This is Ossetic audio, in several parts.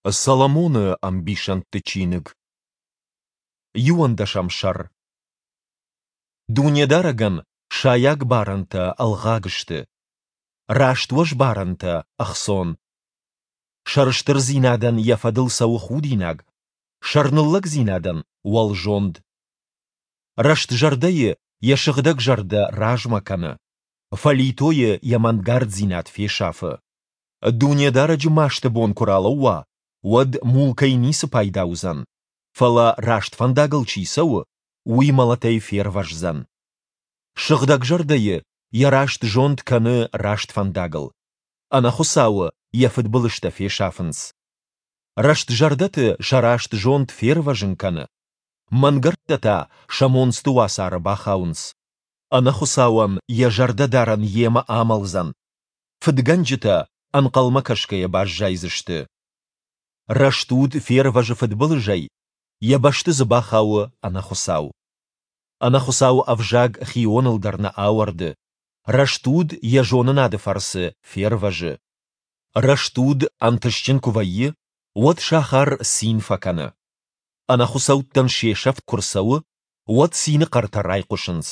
Соломоны ӕмбисӕндты чиныг. Иуӕндӕсӕм сӕр. Дунедарӕгӕн сайаг барӕнтӕ ӕлгъаг сты, раст уӕзбарӕнтӕ ӕхцон. Сӕрыстырдзинадӕн йӕ фӕдыл цӕуы худинаг, сӕрныллӕгдзинадӕн уӕлзонд. Рӕстзӕрдӕйы йӕ сыгъдӕг зӕрдӕ размӕ кӕны, фӕлитойы йӕ мӕнгарддзинад фесафы. Дунедарӕджы масты бон куы ралӕууа, уӕд мулкӕй ницы пайда уыдзӕн, фӕлӕ раст фӕндагыл чи цӕуы, уый мӕлӕтӕй фервӕздзӕн. Сыгъдӕгзӕрдӕйы йӕ раст зонд кӕны раст фӕндагыл, ӕнӕхуыцауы йӕ фыдбылызтӕ фесафынц. Рӕстзӕрдӕты сӕ раст зонд фервӕзын кӕны, мӕнгӕрдтӕ та сӕ монцты уацары бахауынц. Ӕнӕхуыцауӕн йӕ зӕрдӕдарӕн йемӕ амӕлдзӕн, фыдгӕнджытӕ ӕнхъӕлмӕ кӕсгӕйӕ баззайдзысты. Рӕстуд фервӕзы фыдбылызӕй, йӕ бӕсты дзы бахауы ӕнӕхуыцау. Ӕнӕхуыцауы ӕвзаг хионыл дӕр нӕ ауӕрды, рӕстуд йӕ зонынады фӕрцы фервӕзы. Рӕстуд ӕнтыстджын куы вӕййы, уӕд сахар цин фӕкӕны. Ӕнӕхуыцӕуттӕн се сӕфт куы рцӕуы, уӕд цины хъӕртӕ райхъуысынц.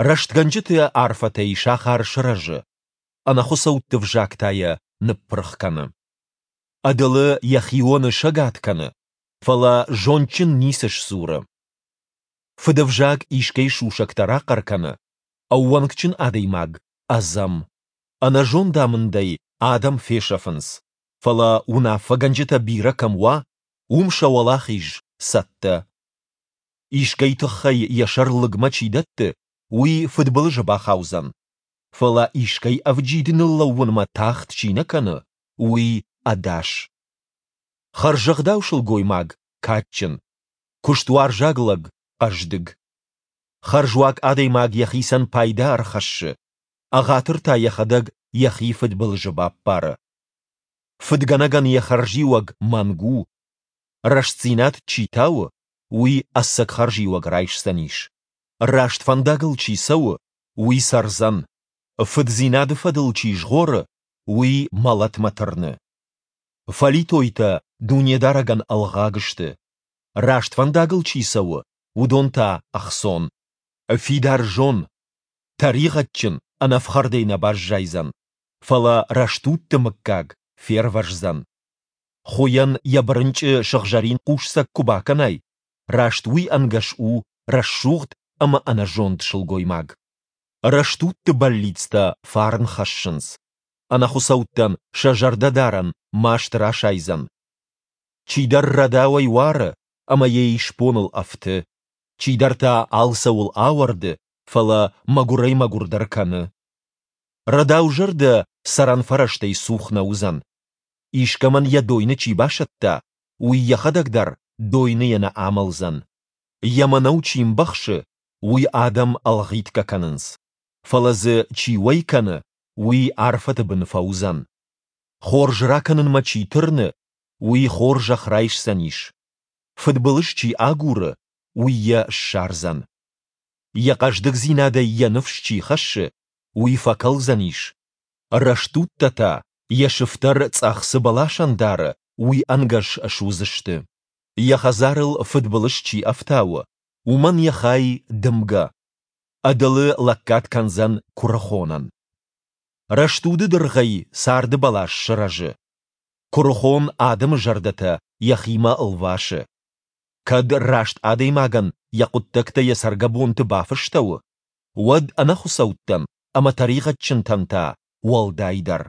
Рӕстгӕнджыты арфӕтӕй сахар сырӕзы, ӕнӕхуыцӕутты взаг та йӕ ныппырх кӕны. Ӕдылы йӕ хионы сӕгад кӕны, фӕлӕ зондджын ницы сдзуры. Фыдӕвзаг искӕй сусӕгтӕ рахъӕр кӕны, ӕууӕнкджын адӕймаг ӕдзӕм. Ӕнӕзондамындӕй адӕм фесӕфынц, фӕлӕ уынаффӕгӕнджытӕ бирӕ кӕм уа, уым сӕ уӕлахиз цӕттӕ. Искӕй тыххӕй йӕ сӕр лыгмӕ чи дӕтты, уый фыдбылызы бахаудзӕн. Фӕлӕ искӕй ӕвджид ныллӕууынмӕ тагъд чи нӕ кӕны, уый ӕдас. Хӕрзӕгъдау сылгоймаг кадджын, куыстуарзаг лӕг хъӕздыг. Хӕрзуаг адӕймаг йӕхицӕн пайда ӕрхӕссы, ӕгъатыр та йӕхӕдӕг йӕхи фыдбылызы баппары. Фыдгӕнӕгӕн йӕ хӕрзиуӕг мӕнг у, рӕстдзинад чи тауы, уый ӕцӕг хӕрзиуӕг райсдзӕнис. Раст фӕндагыл чи цӕуы, уый цӕрдзӕн, фыддзинады фӕдыл чи згъоры, уый мӕлӕтмӕ тырны. Фӕлитойтӕ Дунедарӕгӕн ӕлгъаг сты, раст фӕндагыл чи цӕуы, уыдон та ӕхцон. Фидар зон, тӕригъӕдджын ӕнӕфхӕрдӕй нӕ баззайдзӕн, фӕлӕ рӕстудты мыггаг фервӕздзӕн. Хуыйӕн йӕ бырынчъы сыгъзӕрин хъусцӕг куы бакӕнай, раст уый ӕнгӕс у рӕсугъд ӕмӕ ӕнӕзонд сылгоймаг. Рӕстудты бӕллицтӕ фарн хӕссынц, ӕнӕхуыцӕуттӕн сӕ зӕрдӕдарӕн маст расайдзӕн. Чидӕр рӕдауӕй уары ӕмӕ йӕ исбоныл ӕфты, чидӕр та алцӕуыл ауӕрды, фӕлӕ мӕгуырӕй-мӕгуырдӕр кӕны. Рӕдаузӕрдӕ цӕрӕн фӕрӕзтӕй цух нӕ уыдзӕн. Искӕмӕн йӕ дойны чи басӕтта, уый йӕхӕдӕг дӕр дойныйӕ нӕ амӕлдзӕн. Йӕ мӕнӕу чи мбӕхсы, уый адӕм ӕлгъитгӕ кӕнынц, фӕлӕ дзы чи уӕй кӕны, уый арфӕты бын фӕуыдзӕн. Хорз ракӕнынмӕ чи тырны, уый хорзӕх райсдзӕнис. Фыдбылыз чи агуры, уый йӕ ссардзӕн. Йӕ хъӕздыгдзинадӕй йӕ ныфс чи хӕссы, уый фӕкӕлдзӕнис. Рӕстудтӕ та, йӕ сыфтӕр цъӕх цы бӕласӕн дары, уый ӕнгӕс суыдзысты. Йӕ хӕдзарыл фыдбылыз чи ӕфтауы, уымӕн йӕ хай дымгӕ. Ӕдылы лӕггад кӕндзӕн куырыхонӕн. Рӕстуды дыргъӕй царды бӕлас сырӕзы. Куырыхон адӕмы зӕрдӕтӕ йӕхимӕ лвасы. Кӕд раст адӕймагӕн йӕ хъуыддӕгтӕ йӕ цӕргӕбонты бафыстӕуы, уӕд ӕнӕхуыцӕуттӕн ӕмӕ тӕригъӕдджынтӕн та уӕлдайдӕр.